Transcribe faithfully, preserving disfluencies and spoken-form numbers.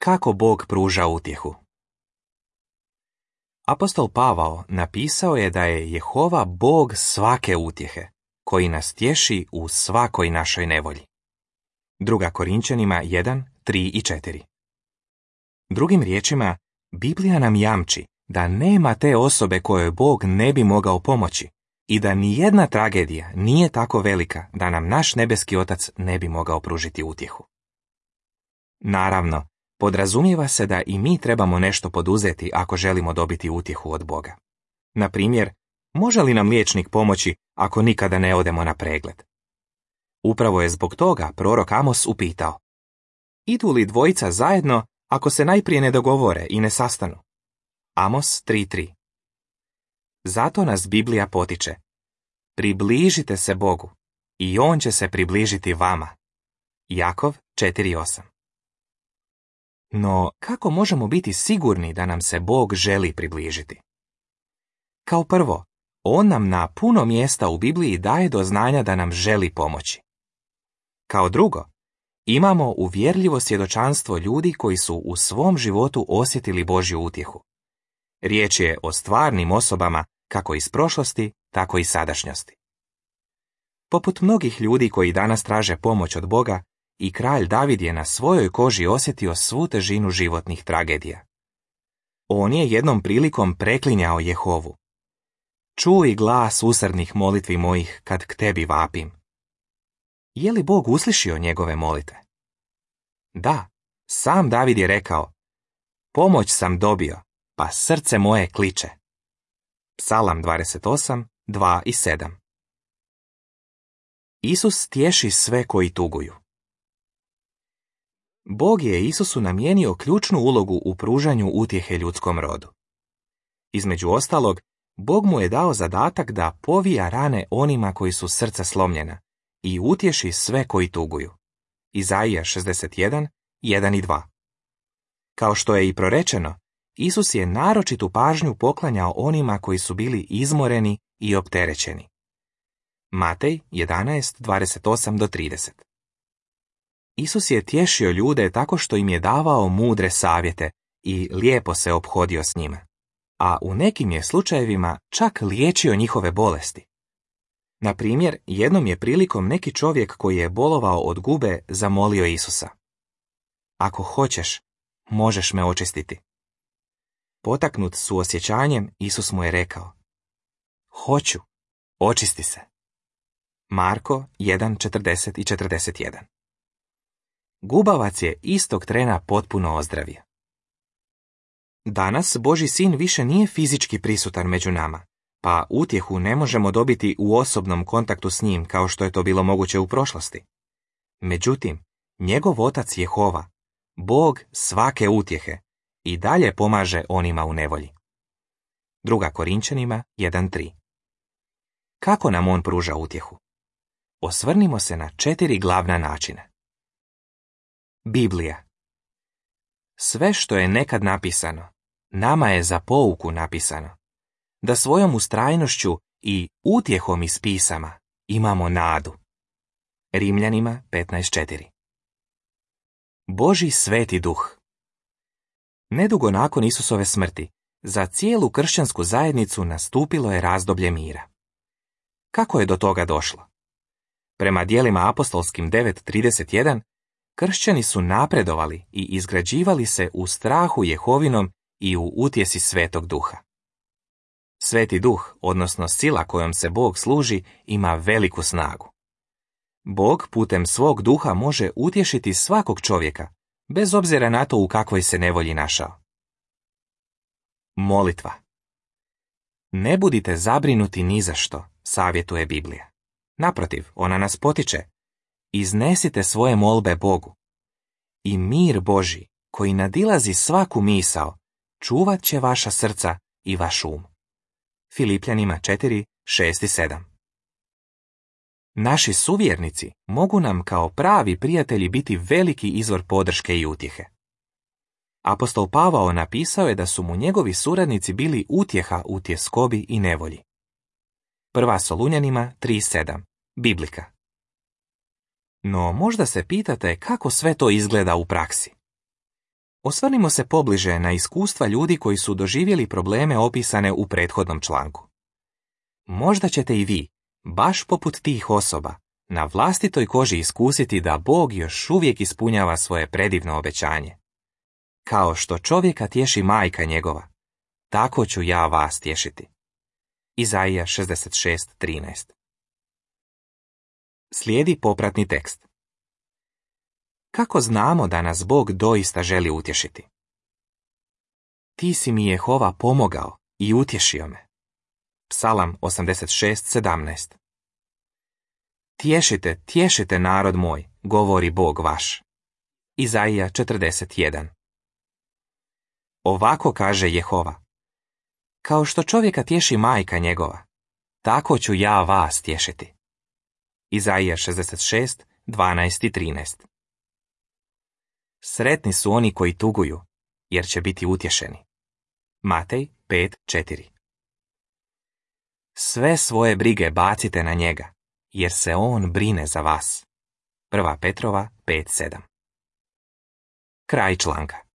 Kako Bog pruža utjehu? Apostol Pavao napisao je da je Jehova Bog svake utjehe, koji nas tješi u svakoj našoj nevolji. Druga Korinčanima jedan, tri i četiri. Drugim riječima, Biblija nam jamči da nema te osobe kojoj Bog ne bi mogao pomoći i da nijedna tragedija nije tako velika da nam naš nebeski Otac ne bi mogao pružiti utjehu. Naravno, podrazumijeva se da i mi trebamo nešto poduzeti ako želimo dobiti utjehu od Boga. Na primjer, može li nam liječnik pomoći ako nikada ne odemo na pregled? Upravo je zbog toga prorok Amos upitao: idu li dvojica zajedno ako se najprije ne dogovore i ne sastanu? Amos tri tri. Zato nas Biblija potiče: približite se Bogu i On će se približiti vama. Jakov četiri osam. No, kako možemo biti sigurni da nam se Bog želi približiti? Kao prvo, On nam na puno mjesta u Bibliji daje do znanja da nam želi pomoći. Kao drugo, imamo uvjerljivo svjedočanstvo ljudi koji su u svom životu osjetili Božju utjehu. Riječ je o stvarnim osobama kako iz prošlosti, tako i sadašnjosti. Poput mnogih ljudi koji danas traže pomoć od Boga, i kralj David je na svojoj koži osjetio svu težinu životnih tragedija. On je jednom prilikom preklinjao Jehovu: čuj glas usrdnih molitvi mojih kad k tebi vapim. Je li Bog uslišio njegove molitve? Da, sam David je rekao: pomoć sam dobio, pa srce moje kliče. Psalam dvadeset osam, dva i sedam. Isus tješi sve koji tuguju. Bog je Isusu namijenio ključnu ulogu u pružanju utjehe ljudskom rodu. Između ostalog, Bog mu je dao zadatak da povija rane onima koji su srca slomljena i utješi sve koji tuguju. Izaija šezdeset jedan, jedan i dva. Kao što je i prorečeno, Isus je naročitu pažnju poklanjao onima koji su bili izmoreni i opterećeni. Matej jedanaest, dvadeset osam do trideset. Isus je tješio ljude tako što im je davao mudre savjete i lijepo se ophodio s njima, a u nekim je slučajevima čak liječio njihove bolesti. Na primjer, jednom je prilikom neki čovjek koji je bolovao od gube zamolio Isusa: ako hoćeš, možeš me očistiti. Potaknut suosjećanjem, Isus mu je rekao: hoću, očisti se. Marko jedan, četrdeset i četrdeset jedan. Gubavac je istog trena potpuno ozdravio. Danas Božji sin više nije fizički prisutan među nama, pa utjehu ne možemo dobiti u osobnom kontaktu s njim kao što je to bilo moguće u prošlosti. Međutim, njegov otac Jehova, Bog svake utjehe, i dalje pomaže onima u nevolji. Druga Korinčanima jedan tri. Kako nam on pruža utjehu? Osvrnimo se na četiri glavna načina. Biblija. Sve što je nekad napisano, nama je za pouku napisano, da svojom ustrajnošću i utjehom iz pisama imamo nadu. Rimljanima petnaest četiri. Božji sveti duh. Nedugo nakon Isusove smrti, za cijelu kršćansku zajednicu nastupilo je razdoblje mira. Kako je do toga došlo? Prema djelima apostolskim devet trideset jedan, kršćani su napredovali i izgrađivali se u strahu Jehovinom i u utjesi Svetog Duha. Sveti Duh, odnosno sila kojom se Bog služi, ima veliku snagu. Bog putem svog duha može utješiti svakog čovjeka, bez obzira na to u kakvoj se nevolji našao. Molitva. Ne budite zabrinuti ni za što, savjetuje Biblija. Naprotiv, ona nas potiče: iznesite svoje molbe Bogu. I mir Božji, koji nadilazi svaku misao, čuvat će vaša srca i vaš um. Filipljanima četiri, šest i sedam. Naši suvjernici mogu nam kao pravi prijatelji biti veliki izvor podrške i utjehe. Apostol Pavao napisao je da su mu njegovi suradnici bili utjeha u tjeskobi i nevolji. Prva Solunjanima tri sedam. Biblika. No možda se pitate kako sve to izgleda u praksi. Osvrnimo se pobliže na iskustva ljudi koji su doživjeli probleme opisane u prethodnom članku. Možda ćete i vi, baš poput tih osoba, na vlastitoj koži iskusiti da Bog još uvijek ispunjava svoje predivno obećanje. Kao što čovjeka tješi majka njegova, tako ću ja vas tješiti. Izaija šezdeset šest trinaest. Slijedi popratni tekst. Kako znamo da nas Bog doista želi utješiti? Ti si mi Jehova pomogao i utješio me. Psalam osamdeset šest sedamnaest. Tješite, tješite narod moj, govori Bog vaš. Izaija četrdeset jedan. Ovako kaže Jehova. Kao što čovjeka tješi majka njegova, tako ću ja vas tješiti. Izaija šezdeset šest dvanaest i trinaest. Sretni su oni koji tuguju, jer će biti utješeni. Matej pet četiri. Sve svoje brige bacite na njega, jer se on brine za vas. Prva Petrova pet sedam. Kraj članka.